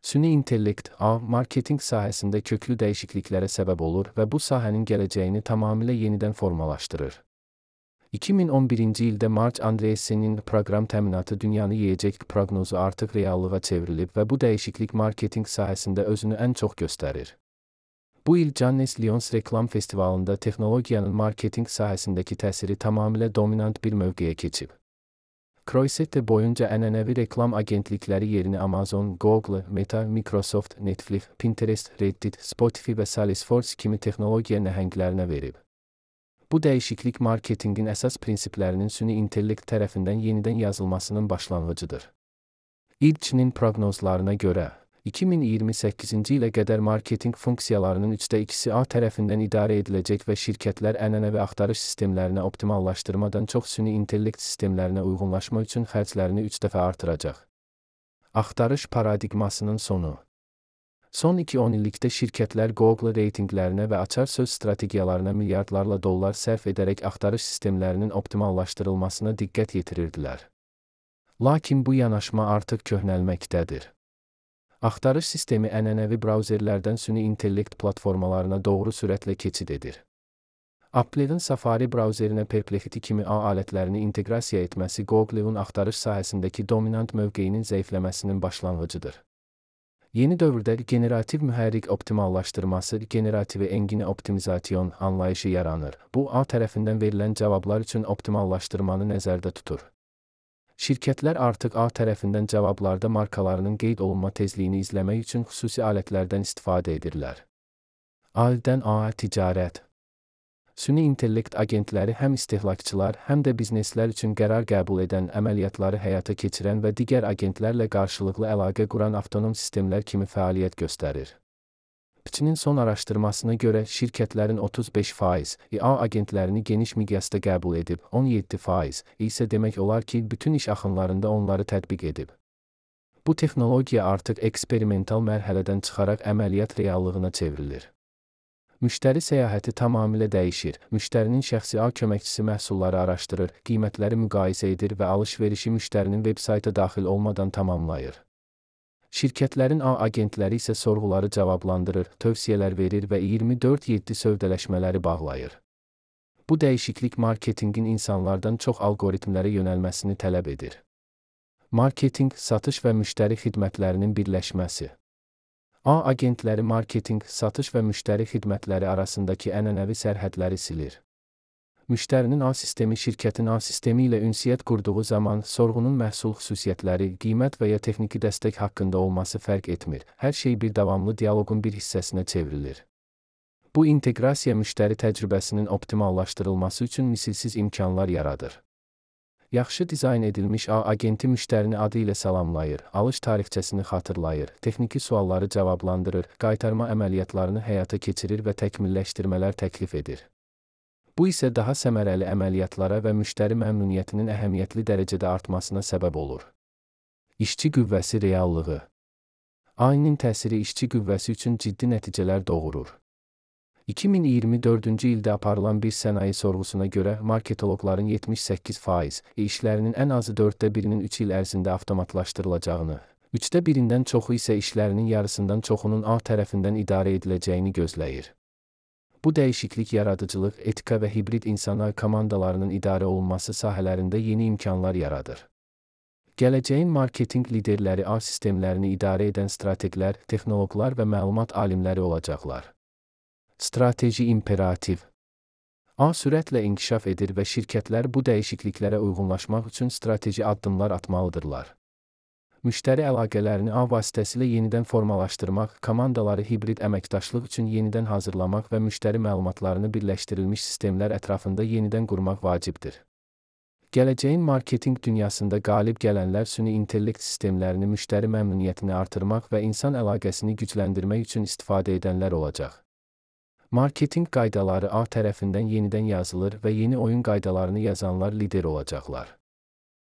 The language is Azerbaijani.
Süni intellekt, marketinq sahəsində köklü dəyişikliklərə səbəb olur və bu sahənin gələcəyini tamamilə yenidən formalaşdırır. 2011-ci ildə Marc Andreessen'in proqram təminatı dünyanı yeyəcək proqnozu artıq reallığa çevrilib və bu dəyişiklik marketinq sahəsində özünü ən çox göstərir. Bu il Cannes Lions reklam festivalında texnologiyanın marketinq sahəsindəki təsiri tamamilə dominant bir mövqeyə keçib. Croisette boyunca ənənəvi reklam agentlikləri yerini Amazon, Google, Meta, Microsoft, Netflix, Pinterest, Reddit, Spotify və Salesforce kimi texnologiya nəhənglərinə verib. Bu dəyişiklik marketinqin əsas prinsiplərinin süni intellekt tərəfindən yenidən yazılmasının başlanğıcıdır. İlçinin proqnozlarına görə, 2028-ci ilə qədər marketinq funksiyalarının 2/3-i A tərəfindən idarə ediləcək və şirkətlər ənənəvi axtarış sistemlərinə optimallaşdırmadan çox süni intellekt sistemlərinə uyğunlaşma üçün xərclərini 3 dəfə artıracaq. Axtarış paradigmasının sonu. Son 2-10 illikdə şirkətlər Google reytinqlərinə və açar söz strategiyalarına milyardlarla dollar sərf edərək axtarış sistemlərinin optimallaşdırılmasına diqqət yetirirdilər. Lakin bu yanaşma artıq köhnəlməkdədir. Axtarış sistemi ənənəvi brauzerlərdən süni intellekt platformalarına doğru sürətlə keçid edir. Apple'ın Safari brauzerinə Perplexity kimi A alətlərini inteqrasiya etməsi Google'un axtarış sahəsindəki dominant mövqeyinin zəifləməsinin başlanğıcıdır. Yeni dövrdə generativ mühərrik optimallaşdırması, generative engine optimizasyon anlayışı yaranır. Bu, A tərəfindən verilən cavablar üçün optimallaşdırmanı nəzərdə tutur. Şirkətlər artıq A tərəfindən cavablarda markalarının qeyd olunma tezliyini izləmək üçün xüsusi alətlərdən istifadə edirlər. A-dən A-ya ticarət. Süni intellekt agentləri həm istehlakçılar, həm də bizneslər üçün qərar qəbul edən, əməliyyatları həyata keçirən və digər agentlərlə qarşılıqlı əlaqə quran avtonom sistemlər kimi fəaliyyət göstərir. Pçinin son araşdırmasına görə şirkətlərin 35% A agentlərini geniş miqyasda qəbul edib, 17% isə demək olar ki, bütün iş axınlarında onları tətbiq edib. Bu texnologiya artıq eksperimental mərhələdən çıxaraq əməliyyat reallığına çevrilir. Müştəri səyahəti tamamilə dəyişir. Müştərinin şəxsi A köməkçisi məhsulları araşdırır, qiymətləri müqayisə edir və alış-verişi müştərinin veb-sayta daxil olmadan tamamlayır. Şirkətlərin A agentləri isə sorğuları cavablandırır, tövsiyələr verir və 24/7 sövdələşmələri bağlayır. Bu dəyişiklik marketinqin insanlardan çox algoritmlərə yönəlməsini tələb edir. Marketinq, satış və müştəri xidmətlərinin birləşməsi. A agentləri marketinq, satış və müştəri xidmətləri arasındakı ənənəvi sərhədləri silir. Müştərinin A sistemi şirkətin A sistemi ilə ünsiyyət qurduğu zaman sorğunun məhsul xüsusiyyətləri, qiymət və ya texniki dəstək haqqında olması fərq etmir. Hər şey bir davamlı dialoqun bir hissəsinə çevrilir. Bu inteqrasiya müştəri təcrübəsinin optimallaşdırılması üçün misilsiz imkanlar yaradır. Yaxşı dizayn edilmiş A agenti müştərini adı ilə salamlayır, alış tarixçəsini xatırlayır, texniki sualları cavablandırır, qaytarma əməliyyatlarını həyata keçirir və təkmilləşdirmələr təklif edir. Bu isə daha səmərəli əməliyyatlara və müştəri məmnuniyyətinin əhəmiyyətli dərəcədə artmasına səbəb olur. İşçi qüvvəsi reallığı. A-nin təsiri işçi qüvvəsi üçün ciddi nəticələr doğurur. 2024-cü ildə aparılan bir sənaye sorğusuna görə marketoloqların 78% işlərinin ən azı 1/4-nin 3 il ərzində avtomatlaşdırılacağını, 1/3-dən çoxu isə işlərinin yarısından çoxunun A tərəfindən idarə ediləcəyini gözləyir. Bu dəyişiklik yaradıcılıq, etika və hibrid insan komandalarının idarə olunması sahələrində yeni imkanlar yaradır. Gələcəyin marketinq liderləri A sistemlərini idarə edən strateqlər, texnoloqlar və məlumat alimləri olacaqlar. Strateji imperativ. A sürətlə inkişaf edir və şirkətlər bu dəyişikliklərə uyğunlaşmaq üçün strateji addımlar atmalıdırlar. Müştəri əlaqələrini A vasitəsilə yenidən formalaşdırmaq, komandaları hibrid əməkdaşlıq üçün yenidən hazırlamaq və müştəri məlumatlarını birləşdirilmiş sistemlər ətrafında yenidən qurmaq vacibdir. Gələcəyin marketinq dünyasında qalib gələnlər süni intellekt sistemlərini müştəri məmnuniyyətini artırmaq və insan əlaqəsini gücləndirmək üçün istifadə edənlər olacaq. Marketinq qaydaları A tərəfindən yenidən yazılır və yeni oyun qaydalarını yazanlar lider olacaqlar.